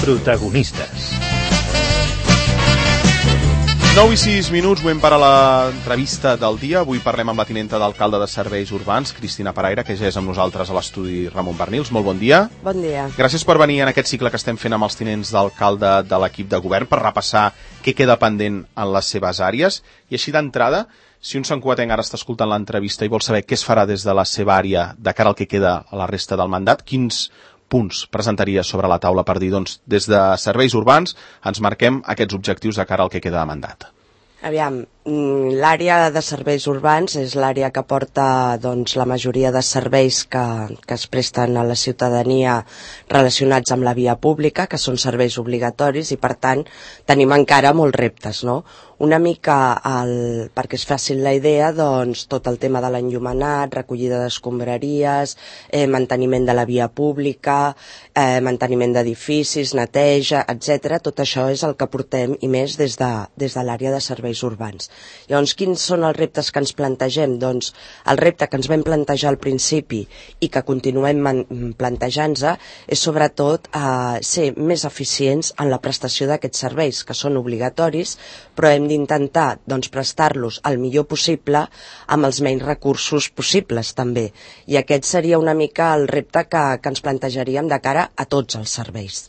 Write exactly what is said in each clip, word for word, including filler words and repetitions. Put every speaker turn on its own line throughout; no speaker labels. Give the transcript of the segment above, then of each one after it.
Protagonistes.
nou i sis minuts, moment per a l'entrevista del dia. Avui parlem amb la tinenta d'alcalde de Serveis Urbans, Cristina Paraire, que ja és amb nosaltres a l'estudi Ramon Bernils. Molt bon dia.
Bon dia.
Gràcies per venir en aquest cicle que estem fent amb els tinents d'alcalde de l'equip de govern per repassar què queda pendent en les seves àrees. I així d'entrada, si un santcugatenc ara està escoltant l'entrevista i vol saber què es farà des de la seva àrea de cara al que queda a la resta del mandat, quins punts presentaria sobre la taula per dir, doncs, des de Serveis Urbans ens marquem aquests objectius de cara al que queda de mandat?
Aviam, l'àrea de serveis urbans és l'àrea que porta doncs, la majoria de serveis que, que es presten a la ciutadania relacionats amb la via pública, que són serveis obligatoris, i per tant tenim encara molts reptes, no? Una mica, el, perquè és fàcil la idea, doncs tot el tema de l'enllumenat, recollida d'escombraries, eh, manteniment de la via pública, eh, manteniment d'edificis, neteja, etcètera. Tot això és el que portem i més des de, des de l'àrea de serveis urbans. Llavors, quins són els reptes que ens plantegem? Doncs el repte que ens vam plantejar al principi i que continuem plantejant-nos és sobretot eh, ser més eficients en la prestació d'aquests serveis, que són obligatoris, però hem d'intentar doncs, prestar-los el millor possible amb els menys recursos possibles també. I aquest seria una mica el repte que, que ens plantejaríem de cara a tots els serveis.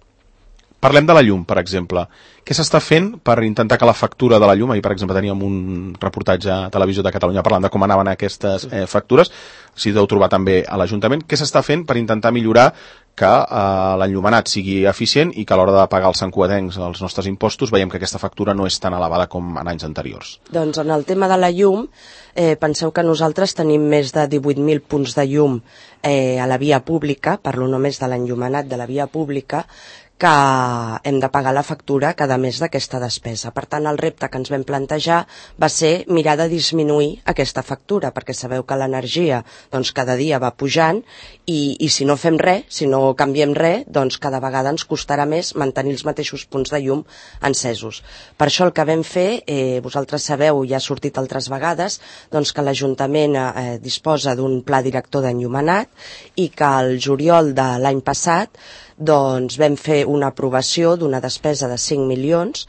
Parlem de la llum, per exemple. Què s'està fent per intentar que la factura de la llum, ahir per exemple teníem un reportatge a Televisió de Catalunya parlant de com anaven aquestes eh, factures, si deu trobar també a l'Ajuntament, què s'està fent per intentar millorar que eh, l'enllumenat sigui eficient i que a l'hora de pagar els santcugatencs els nostres impostos veiem que aquesta factura no és tan elevada com en anys anteriors?
Doncs en el tema de la llum, eh, penseu que nosaltres tenim més de divuit mil punts de llum eh, a la via pública, parlo només de l'enllumenat de la via pública, que hem de pagar la factura cada mes d'aquesta despesa. Per tant, el repte que ens vam plantejar va ser mirar de disminuir aquesta factura, perquè sabeu que l'energia doncs, cada dia va pujant i, i si no fem res, si no canviem res, doncs cada vegada ens costarà més mantenir els mateixos punts de llum encesos. Per això el que vam fer, eh, vosaltres sabeu, ja ha sortit altres vegades, doncs que l'Ajuntament eh, disposa d'un pla director d'enllumenat i que al juliol de l'any passat doncs vam fer una aprovació d'una despesa de cinc milions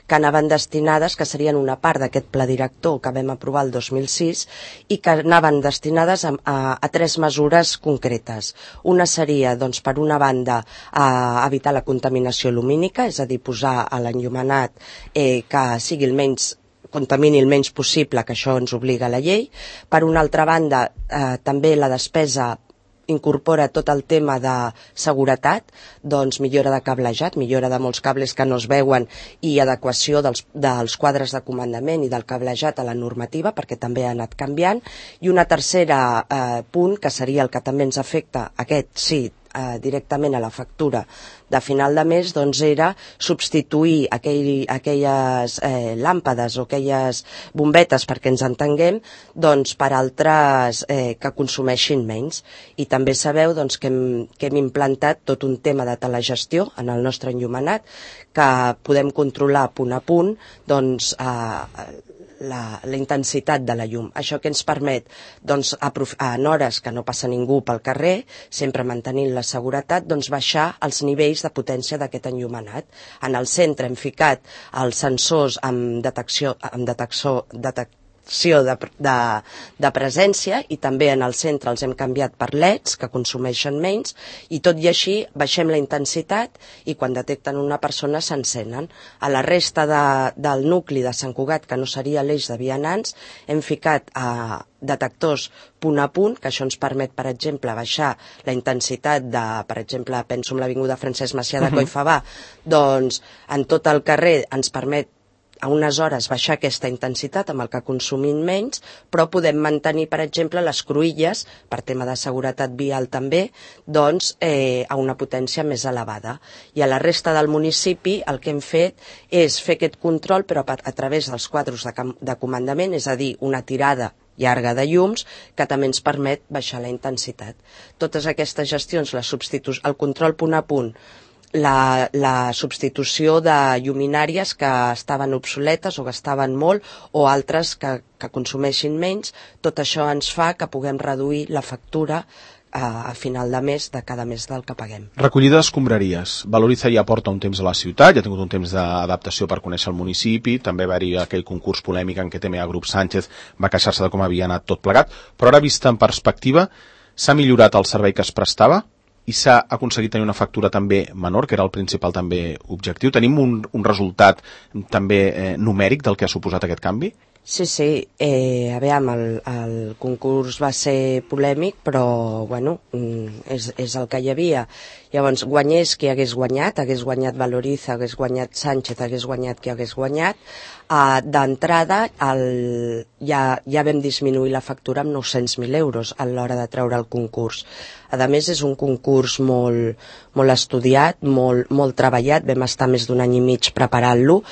que anaven destinades, que serien una part d'aquest pla director que vam aprovar el dos mil sis i que anaven destinades a, a, a tres mesures concretes. Una seria, doncs, per una banda, a evitar la contaminació lumínica, és a dir, posar a l'enllumenat eh, que sigui el menys contamini el menys possible, que això ens obliga la llei. Per una altra banda, eh, també la despesa incorpora tot el tema de seguretat, doncs millora de cablejat, millora de molts cables que no es veuen i adequació dels, dels quadres de comandament i del cablejat a la normativa, perquè també ha anat canviant. I una tercera eh, punt, que seria el que també ens afecta, aquest sí, eh, directament a la factura de final de mes, doncs era substituir aquell, aquelles eh, làmpades o aquelles bombetes, perquè ens entenguem, doncs per altres eh, que consumeixin menys. I també sabeu doncs, que, hem, que hem implantat tot un tema de telegestió en el nostre enllumenat, que podem controlar punt a punt doncs, eh, La, la intensitat de la llum. Això que ens permet, doncs, en hores que no passa ningú pel carrer, sempre mantenint la seguretat, doncs baixar els nivells de potència d'aquest enllumenat. En el centre hem ficat els sensors amb detecció, amb detecció, detecció De, de, de presència, i també en el centre els hem canviat per L E Ds que consumeixen menys, i tot i així baixem la intensitat i quan detecten una persona s'encenen. A la resta de, del nucli de Sant Cugat, que no seria l'eix de vianants, hem ficat a detectors punt a punt, que això ens permet, per exemple, baixar la intensitat de, per exemple, penso en l'avinguda Francesc Macià de Coll i Favar, doncs en tot el carrer ens permet a unes hores baixar aquesta intensitat amb el que consumim menys, però podem mantenir, per exemple, les cruïlles, per tema de seguretat vial també, doncs eh, a una potència més elevada. I a la resta del municipi el que hem fet és fer aquest control, però a, a través dels quadres de, de comandament, és a dir, una tirada llarga de llums, que també ens permet baixar la intensitat. Totes aquestes gestions, la substitu- el control punt a punt, La, la substitució de lluminàries que estaven obsoletes o que estaven molt, o altres que, que consumeixin menys, tot això ens fa que puguem reduir la factura a, a final de mes de cada mes del que paguem.
Recollida d'escombraries. Valoriza ja porta un temps a la ciutat, ja ha tingut un temps d'adaptació per conèixer el municipi, també va haver aquell concurs polèmic en què T M A Grup Sánchez va queixar-se de com havia anat tot plegat, però ara vista en perspectiva, s'ha millorat el servei que es prestava i s'ha aconseguit tenir una factura també menor, que era el principal també objectiu. Tenim un, un resultat també eh, numèric del que ha suposat aquest canvi?
Sí, sí, eh, a veure, el, el concurs va ser polèmic, però, bueno, és, és el que hi havia. Llavors, guanyés qui hagués guanyat, hagués guanyat Valoriza, hagués guanyat Sánchez, hagués guanyat qui hagués guanyat. Uh, D'entrada, ja, ja vam disminuir la factura amb nou-cents mil euros a l'hora de treure el concurs. A més, és un concurs molt, molt estudiat, molt, molt treballat, vam estar més d'un any i mig preparant-lo,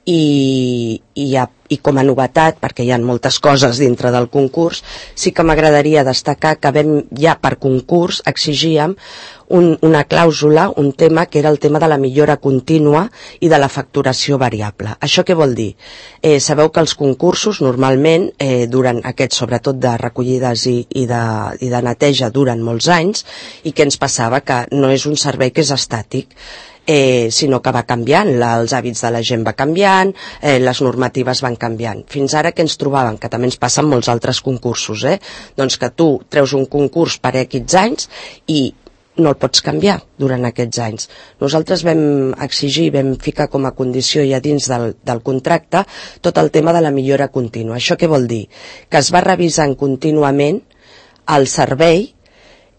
i, i, i com a novetat, perquè hi ha moltes coses dintre del concurs, sí que m'agradaria destacar que vam, ja per concurs exigíem un, una clàusula, un tema que era el tema de la millora contínua i de la facturació variable. Això què vol dir? Eh, sabeu que els concursos normalment eh, duren aquests, sobretot de recollides i, i, de, i de neteja, duren molts anys, i què ens passava? Que no és un servei que és estàtic, Eh, sinó que va canviant, la, els hàbits de la gent va canviant, eh, les normatives van canviant. Fins ara que ens trobàvem, que també ens passa en molts altres concursos, eh? Doncs que tu treus un concurs per X anys i no el pots canviar durant aquests anys. Nosaltres vam exigir, vam ficar com a condició ja dins del, del contracte tot el tema de la millora contínua. Això què vol dir? Que es va revisant contínuament el servei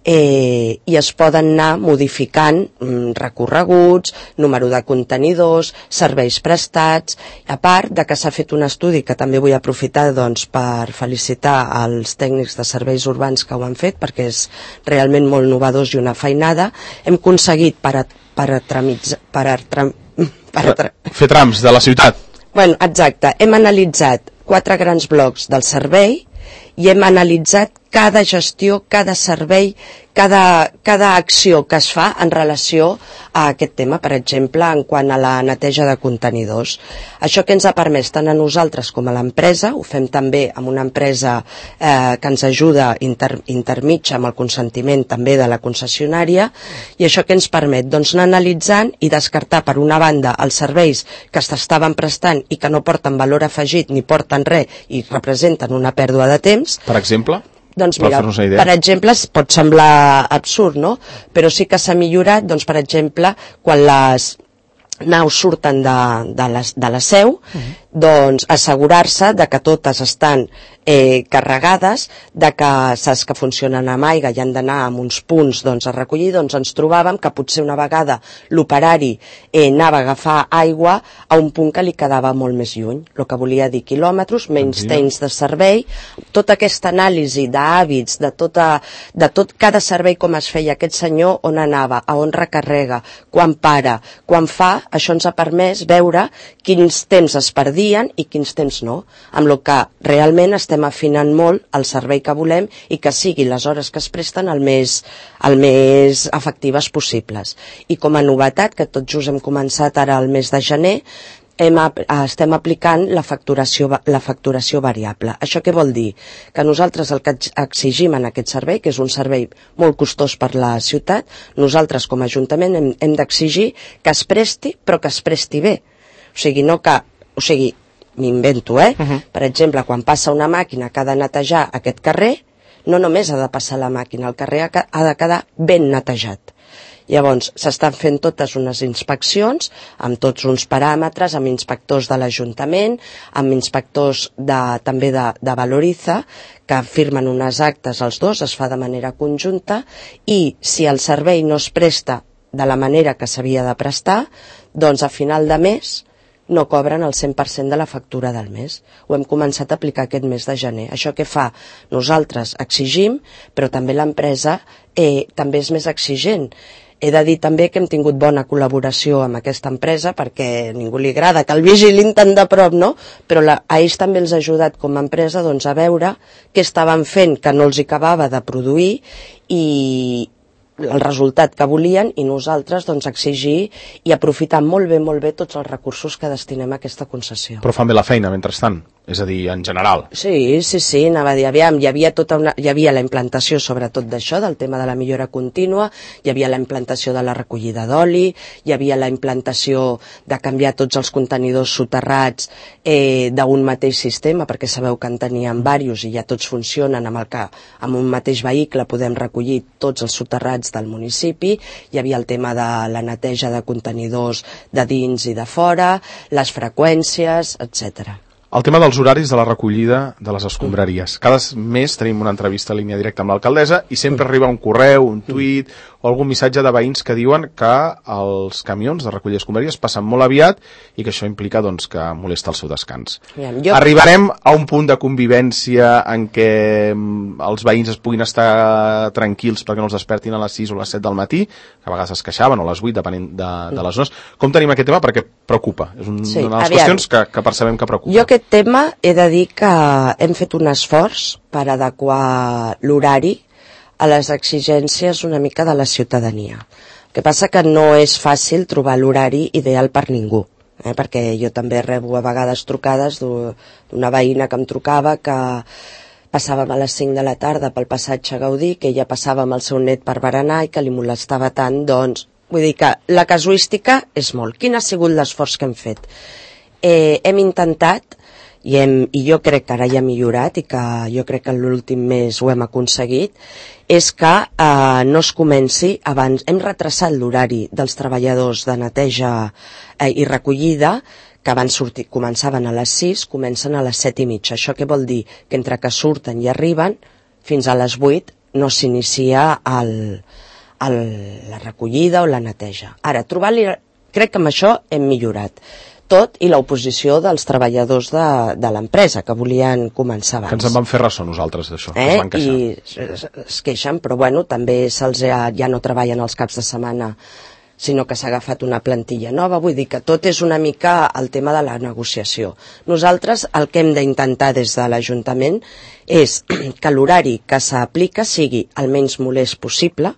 Eh, i es poden anar modificant mm, recorreguts, número de contenidors, serveis prestats, a part de que s'ha fet un estudi que també vull aprofitar doncs, per felicitar els tècnics de serveis urbans que ho han fet, perquè és realment molt innovadors i una feinada. Hem aconseguit per a, per a tramitzar, per a, tram, per a tra...
fer trams de la ciutat.
Bueno, exacte, hem analitzat quatre grans blocs del servei i hem analitzat cada gestió, cada servei, cada, cada acció que es fa en relació a aquest tema, per exemple, en quant a la neteja de contenidors. Això que ens ha permès tant a nosaltres com a l'empresa, ho fem també amb una empresa eh, que ens ajuda inter, intermitja amb el consentiment també de la concessionària, i això que ens permet doncs, anar analitzant i descartar per una banda els serveis que s'estaven prestant i que no porten valor afegit ni porten res i representen una pèrdua de temps.
Per exemple?
Doncs mira, per exemple, pot semblar absurd, no? Però sí que s'ha millorat, doncs, per exemple, quan les naus surten de, de, les, de la seu, uh-huh. doncs assegurar-se de que totes estan eh, carregades, de que saps que funcionen amb aigua i han d'anar a uns punts doncs, a recollir, doncs ens trobàvem que potser una vegada l'operari eh, anava a agafar aigua a un punt que li quedava molt més lluny, el que volia dir quilòmetres, menys uh-huh. temps de servei. Tota aquesta anàlisi d'hàbits, de, tota, de tot cada servei com es feia aquest senyor, on anava, a on recarrega, quan para, quan fa, això ens ha permès veure quins temps es perdien i quins temps no, amb el que realment estem afinant molt el servei que volem i que sigui les hores que es presten el més, el més efectives possibles. I com a novetat, que tot just hem començat ara el mes de gener, Hem, estem aplicant la facturació, la facturació variable. Això què vol dir? Que nosaltres el que exigim en aquest servei, que és un servei molt costós per la ciutat, nosaltres com a Ajuntament hem, hem d'exigir que es presti, però que es presti bé. O sigui, no que... O sigui, m'invento, eh? Uh-huh. Per exemple, quan passa una màquina que ha de netejar aquest carrer, no només ha de passar la màquina, el carrer ha de quedar ben netejat. Llavors, s'estan fent totes unes inspeccions amb tots uns paràmetres, amb inspectors de l'Ajuntament, amb inspectors de, també de, de Valoriza, que firmen unes actes els dos, es fa de manera conjunta, i si el servei no es presta de la manera que s'havia de prestar, doncs a final de mes no cobren el cent per cent de la factura del mes. Ho hem començat a aplicar aquest mes de gener. Això què fa? Nosaltres exigim, però també l'empresa eh, també és més exigent. He de dir també que hem tingut bona col·laboració amb aquesta empresa perquè a ningú li agrada que el vigilin tan de prop, no? Però la, a ells també els ha ajudat com a empresa doncs, a veure què estaven fent que no els acabava de produir i el resultat que volien i nosaltres doncs, exigir i aprofitar molt bé, molt bé tots els recursos que destinem a aquesta concessió.
Però fan bé la feina, mentrestant. és a dir, en general.
Sí, sí, sí, anava a dir, aviam, hi havia, tota una, hi havia la implantació sobretot d'això, del tema de la millora contínua, hi havia la implantació de la recollida d'oli, hi havia la implantació de canviar tots els contenidors soterrats eh, d'un mateix sistema, perquè sabeu que en teníem diversos i ja tots funcionen amb el que amb un mateix vehicle podem recollir tots els soterrats del municipi, hi havia el tema de la neteja de contenidors de dins i de fora, les freqüències, etcètera.
El tema dels horaris de la recollida de les escombraries. Cada mes tenim una entrevista a línia directa amb l'alcaldessa i sempre arriba un correu, un tuit o algun missatge de veïns que diuen que els camions de recollir escombraries passen molt aviat i que això implica doncs, que molesta el seu descans.
Jo...
Arribarem a un punt de convivència en què els veïns es puguin estar tranquils perquè no els despertin a les sis o les set del matí, que a vegades es queixaven, o a les vuit, depenent de, de les zones. Com tenim aquest tema? Perquè preocupa. És un, sí, una de les aviam. qüestions que, que percebem que preocupa.
Jo aquest tema he de dir que hem fet un esforç per adequar l'horari a les exigències una mica de la ciutadania. El que passa que no és fàcil trobar l'horari ideal per ningú, eh? Perquè jo també rebo a vegades trucades d'una veïna que em trucava que passàvem a les cinc de la tarda pel passatge Gaudí, que ella passava amb el seu net per berenar i que li molestava tant, doncs, vull dir que la casuística és molt. Quin ha sigut l'esforç que hem fet? Eh, hem intentat, i, hem, i jo crec que ara ja ha millorat i que jo crec que l'últim mes ho hem aconseguit, és que eh, no es comenci abans. Hem retrasat l'horari dels treballadors de neteja eh, i recollida, que abans sortir, començaven a les sis, comencen a les set i mitja. Això què vol dir? Que entre que surten i arriben, fins a les vuit no s'inicia el, el, la recollida o la neteja. Ara, trobar-li... Crec que amb això hem millorat. Tot i l'oposició dels treballadors de, de l'empresa, que volien començar abans.
Que ens en van fer ressò nosaltres, d'això,
eh?
que es van queixar.
I es, es queixen, però bueno, també se'ls ha, ja no treballen els caps de setmana, sinó que s'ha agafat una plantilla nova. Vull dir que tot és una mica el tema de la negociació. Nosaltres el que hem d'intentar des de l'Ajuntament és que l'horari que s'aplica sigui el menys molest possible,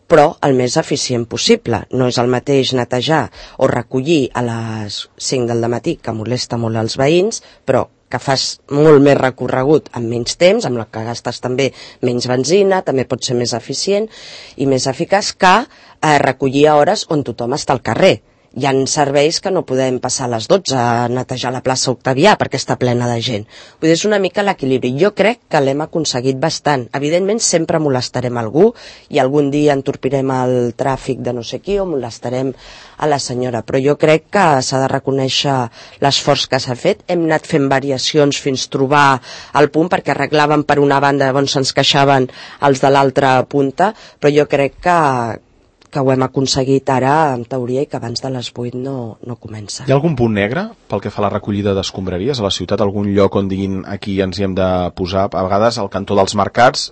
però el més eficient possible. No és el mateix netejar o recollir a les cinc del matí, que molesta molt als veïns, però que fas molt més recorregut en menys temps, amb el que gastes també menys benzina, també pot ser més eficient i més eficaç que eh, recollir a hores on tothom està al carrer. Hi ha serveis que no podem passar a les dotze a netejar la plaça Octavià perquè està plena de gent. Vull dir, és una mica l'equilibri. Jo crec que l'hem aconseguit bastant. Evidentment sempre molestarem algú i algun dia entorpirem el tràfic de no sé qui o molestarem a la senyora, però jo crec que s'ha de reconèixer l'esforç que s'ha fet. Hem anat fent variacions fins trobar el punt, perquè arreglàvem per una banda on se'ns queixaven els de l'altra punta, però jo crec que que ho hem aconseguit ara, en teoria, i que abans de les vuit no, no comença.
Hi ha algun punt negre pel que fa a la recollida d'escombraries a la ciutat? Algun lloc on diguin aquí ens hi hem de posar? A vegades al cantó dels mercats,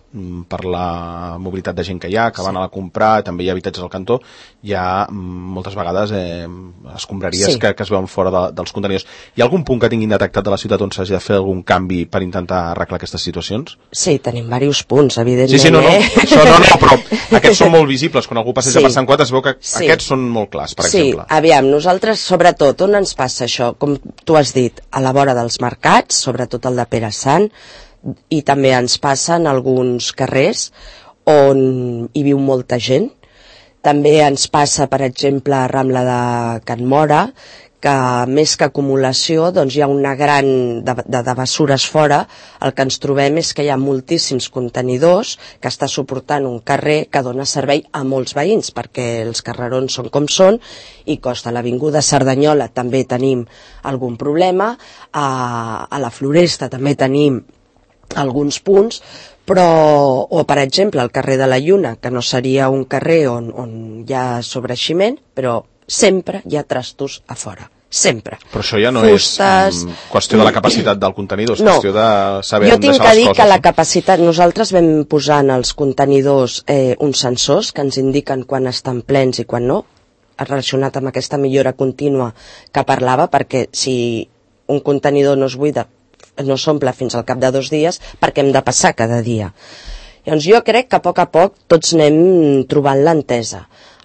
per la mobilitat de gent que hi ha, que van a la comprar, també hi ha habitatges al cantó, hi ha moltes vegades eh, escombraries sí. que, que es veuen fora de, dels contenidors. Hi ha algun punt que tinguin detectat de la ciutat on s'hagi de fer algun canvi per intentar arreglar aquestes situacions?
Sí, tenim diversos punts, evidentment.
Sí, sí, no, no,
eh?
això no, no, però aquests són molt visibles. Quan algú passeja sí. per Sant Quat es veu que sí. aquests són molt clars, per
sí.
exemple.
Sí, aviam, nosaltres, sobretot, on ens passa això? Com tu has dit, a la vora dels mercats, sobretot el de Pere Sant, i també ens passa en alguns carrers on hi viu molta gent. També ens passa, per exemple, a Rambla de Can Mora, que més que acumulació doncs hi ha una gran de, de, de bessures fora. El que ens trobem és que hi ha moltíssims contenidors que està suportant un carrer que dona servei a molts veïns, perquè els carrerons són com són i costa. A l'avinguda Cerdanyola també tenim algun problema, a, a la Floresta també tenim alguns punts, però, o per exemple el carrer de la Lluna, que no seria un carrer on, on hi ha sobreeiximent, però sempre hi ha trastos a fora, sempre.
Però això ja no
Fustes...
és mm, qüestió de la capacitat del contenidor, és
no.
qüestió de saber on deixar les coses.
Jo tinc que dir que la capacitat, nosaltres vam posar en els contenidors eh, uns sensors que ens indiquen quan estan plens i quan no, relacionat amb aquesta millora contínua que parlava, perquè si un contenidor no es buida, no s'omple fins al cap de dos dies, perquè hem de passar cada dia. Llavors jo crec que a poc a poc tots anem trobant l'entesa.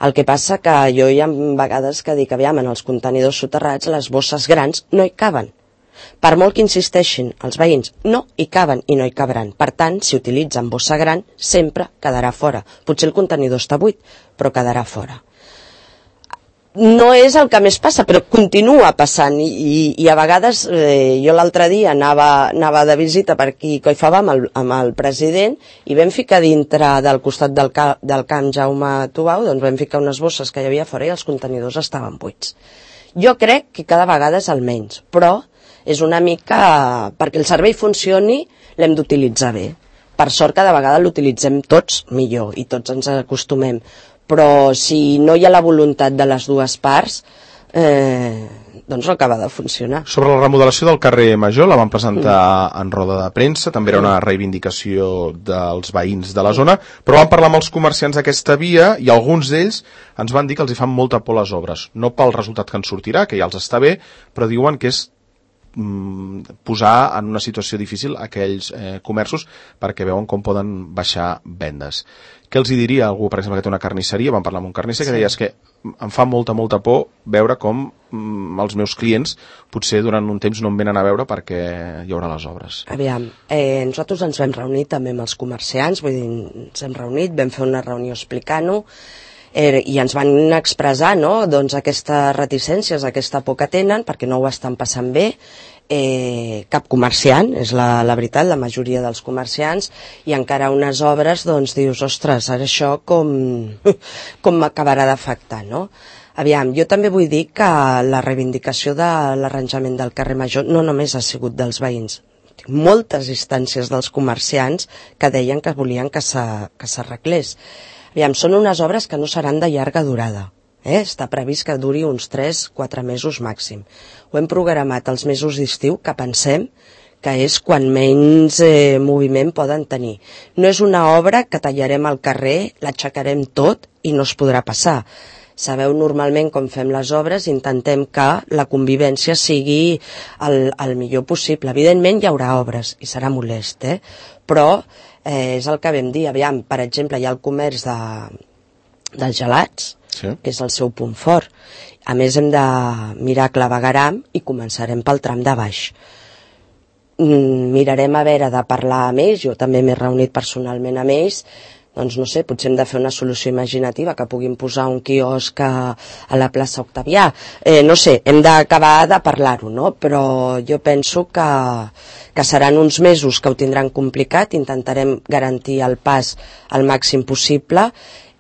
El que passa que jo hi ha vegades que dic, aviam, en els contenidors soterrats les bosses grans no hi caben. Per molt que insisteixin els veïns, no hi caben i no hi cabran. Per tant, si utilitzen bossa gran, sempre quedarà fora. Potser el contenidor està buit, però quedarà fora. No és el que més passa, però continua passant i, i, i a vegades eh, jo l'altre dia anava, anava de visita per aquí a Coifabà amb el, amb el president i vam ficar dintre del costat del, ca, del camp Jaume Tubau, doncs vam ficar unes bosses que hi havia fora i els contenidors estaven buits. Jo crec que cada vegada és el menys, però és una mica... perquè el servei funcioni l'hem d'utilitzar bé. Per sort cada vegada l'utilitzem tots millor i tots ens acostumem. Però si no hi ha la voluntat de les dues parts, eh, doncs no acaba de funcionar.
Sobre la remodelació del carrer Major, la van presentar mm. en roda de premsa, també era una reivindicació dels veïns de la zona, però van parlar amb els comerciants d'aquesta via i alguns d'ells ens van dir que els hi fan molta por les obres. No pel resultat que en sortirà, que ja els està bé, però diuen que és posar en una situació difícil aquells eh, comerços perquè veuen com poden baixar vendes. Què els hi diria algú, per exemple, que té una carnisseria? Vam parlar amb un carnisser que sí. deia és que em fa molta, molta por veure com mm, els meus clients potser durant un temps no em venen a veure perquè hi haurà les obres.
Aviam, eh, nosaltres ens vam reunir també amb els comerciants, vull dir, ens hem reunit, vam fer una reunió explicant-ho, Eh, i ens van expressar, no?, doncs aquestes reticències, aquesta por que tenen, perquè no ho estan passant bé, eh, cap comerciant, és la, la veritat, la majoria dels comerciants, i encara unes obres, doncs dius, ostres, ara això com, com m'acabarà d'afectar, no? Aviam, jo també vull dir que la reivindicació de l'arranjament del carrer Major no només ha sigut dels veïns, moltes instàncies dels comerciants que deien que volien que s'arreglés. Aviam, són unes obres que no seran de llarga durada. Eh? Està previst que duri uns tres quatre mesos màxim. Ho hem programat els mesos d'estiu, que pensem que és quan menys eh, moviment poden tenir. No és una obra que tallarem al carrer, l'aixecarem tot i no es podrà passar. Sabeu normalment com fem les obres, intentem que la convivència sigui el, el millor possible. Evidentment hi haurà obres i serà molest, eh? Però eh, és el que vam dir. Aviam, per exemple, hi ha el comerç de, dels gelats, sí. que és el seu punt fort. A més, hem de mirar clavegueram i començarem pel tram de baix. Mm, mirarem a veure de parlar amb ells, jo també m'he reunit personalment amb ells, doncs no sé, potser hem de fer una solució imaginativa, que puguin posar un quiosc a, a la plaça Octavià. Eh, no sé, hem d'acabar de parlar-ho, no? Però jo penso que, que seran uns mesos que ho tindran complicat, intentarem garantir el pas al màxim possible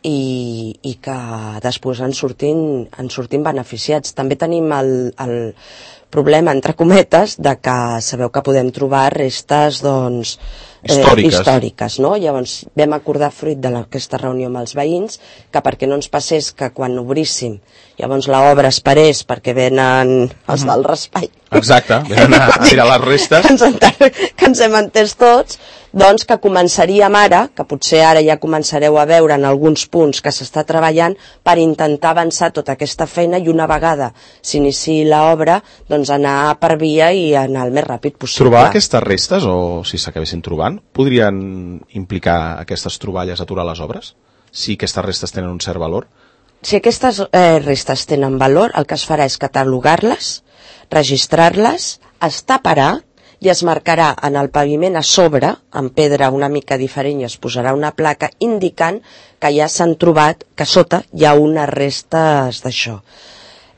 i, i que després en sortim, en sortim beneficiats. També tenim el, el problema, entre cometes, de que sabeu que podem trobar restes, doncs, Eh, històriques. històriques, no? Llavors vam acordar, fruit d'aquesta reunió amb els veïns, que perquè no ens passés que quan obríssim llavors l'obra es parés perquè venen els del raspall.
Exacte, venen a tirar les restes.
que, ens, que ens hem entès tots, doncs que començaríem ara, que potser ara ja començareu a veure en alguns punts que s'està treballant per intentar avançar tota aquesta feina i una vegada s'iniciï l'obra, doncs anar per via i anar el més ràpid possible.
Trobar aquestes restes, o si s'acabessin trobant, podrien implicar aquestes troballes aturar les obres? Si aquestes restes tenen un cert valor?
Si aquestes eh, restes tenen valor, el que es farà és catalogar-les, registrar-les, es taparà i es marcarà en el paviment a sobre, en pedra una mica diferent, i es posarà una placa indicant que ja s'han trobat, que sota hi ha unes restes d'això.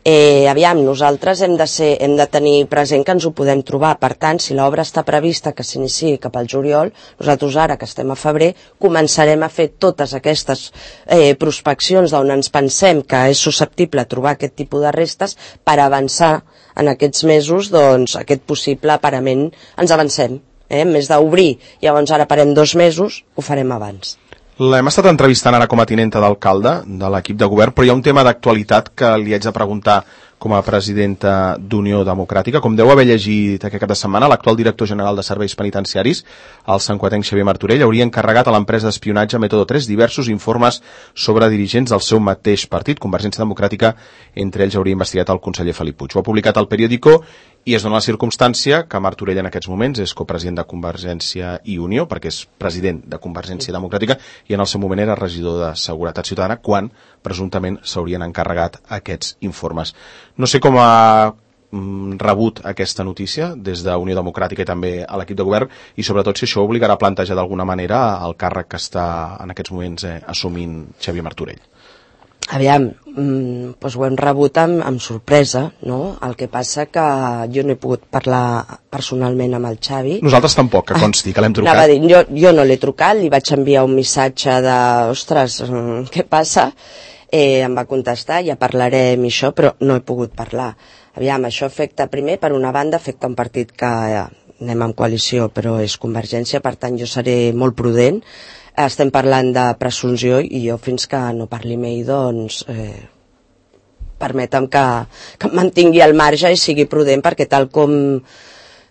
Eh, aviam, nosaltres hem de, ser, hem de tenir present que ens ho podem trobar. Per tant, si l'obra està prevista que s'iniciï cap al juliol, nosaltres ara, que estem a febrer, començarem a fer totes aquestes eh, prospeccions d'on ens pensem que és susceptible trobar aquest tipus de restes per avançar en aquests mesos, doncs, aquest possible parament ens avancem. Eh? En més d'obrir, llavors ara parem dos mesos, ho farem abans.
L'hem estat entrevistant ara com a tinenta d'alcalde de l'equip de govern, però hi ha un tema d'actualitat que li haig de preguntar com a presidenta d'Unió Democràtica. Com deu haver llegit aquest cap de setmana, l'actual director general de Serveis Penitenciaris, el santcuatenc Xavier Martorell, hauria encarregat a l'empresa d'espionatge Método tres diversos informes sobre dirigents del seu mateix partit, Convergència Democràtica. Entre ells hauria investigat el conseller Felip Puig. Ho ha publicat al Periódico i es dona la circumstància que Martorell en aquests moments és copresident de Convergència i Unió, perquè és president de Convergència Democràtica, i en el seu moment era regidor de Seguretat Ciutadana, quan presumptament s'haurien encarregat aquests informes. No sé com ha rebut aquesta notícia des d'Unió Democràtica i també a l'equip de govern, i sobretot si això obligarà a plantejar d'alguna manera el càrrec que està en aquests moments eh, assumint Xavier Martorell.
Aviam, mm, doncs ho hem rebut amb, amb sorpresa, no? El que passa que jo no he pogut parlar personalment amb el Xavi.
Nosaltres tampoc, que consti, que l'hem trucat.
Anava a dir, jo, jo no l'he trucat, li vaig enviar un missatge de, ostres, què passa? Eh, em va contestar, ja parlarem i això, però no he pogut parlar. Aviam, això afecta, primer, per una banda, afecta un partit que eh, anem en coalició, però és Convergència, per tant jo seré molt prudent. Estem parlant de presumpció i jo fins que no parli amb ell, doncs, eh, permetem que, que em mantingui al marge i sigui prudent, perquè tal com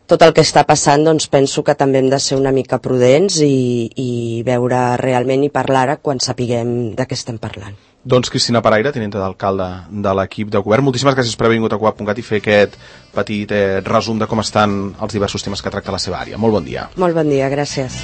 tot el que està passant, doncs penso que també hem de ser una mica prudents i, i veure realment i parlar quan sapiguem de què estem parlant.
Doncs Cristina Paraire, tinenta d'alcalde de l'equip de govern, moltíssimes gràcies per haver vingut a Cugat punt cat i fer aquest petit eh, resum de com estan els diversos temes que tracta la seva àrea. Molt bon dia.
Molt bon dia, gràcies.